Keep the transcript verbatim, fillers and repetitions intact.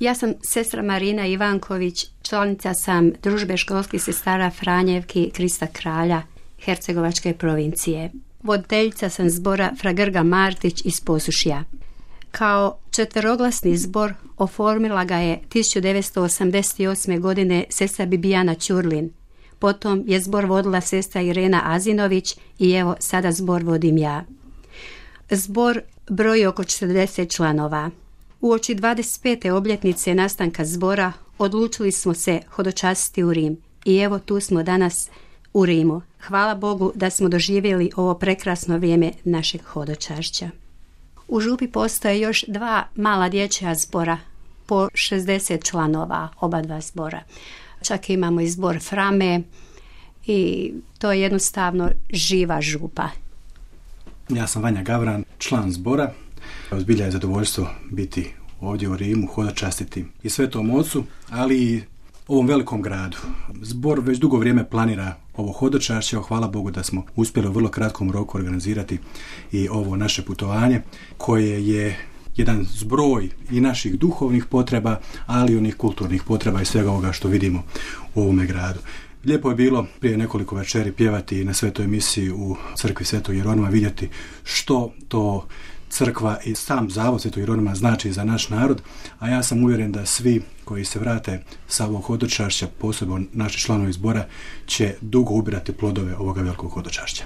Ja sam sestra Marina Ivanković, članica sam Družbe školskih sestara Franjevki Krista Kralja Hercegovačke provincije. Voditeljica sam zbora Fra Grga Martić iz Posušja. Kao četveroglasni zbor oformila ga je tisuću devetsto osamdeset osme. godine sestra Bibijana Ćurlin. Potom je zbor vodila sestra Irena Azinović i evo sada zbor vodim ja. Zbor broji oko četrdeset članova. Uoči dvadeset pete obljetnice nastanka zbora odlučili smo se hodočastiti u Rim i evo tu smo danas u Rimu. Hvala Bogu da smo doživjeli ovo prekrasno vrijeme našeg hodočašća. U župi postoje još dva mala dječja zbora po šezdeset članova, oba dva zbora. Čak imamo i zbor Frame i to je jednostavno živa župa. Ja sam Vanja Gavran, član zbora. Zbilja je zadovoljstvo biti ovdje u Rimu, hodočastiti i Svetom Ocu, ali i ovom velikom gradu. Zbor već dugo vrijeme planira ovo hodočašće, hvala Bogu da smo uspjeli u vrlo kratkom roku organizirati i ovo naše putovanje, koje je jedan zbroj i naših duhovnih potreba, ali i onih kulturnih potreba i svega ovoga što vidimo u ovome gradu. Lijepo je bilo prije nekoliko večeri pjevati na svetoj misiji u crkvi Svetog Jeronima, vidjeti što to crkva i sam zavod Svetog Jeronima znači za naš narod, a ja sam uvjeren da svi koji se vrate sa ovog hodočašća, posebno naši članovi zbora, će dugo ubirati plodove ovoga velikog hodočašća.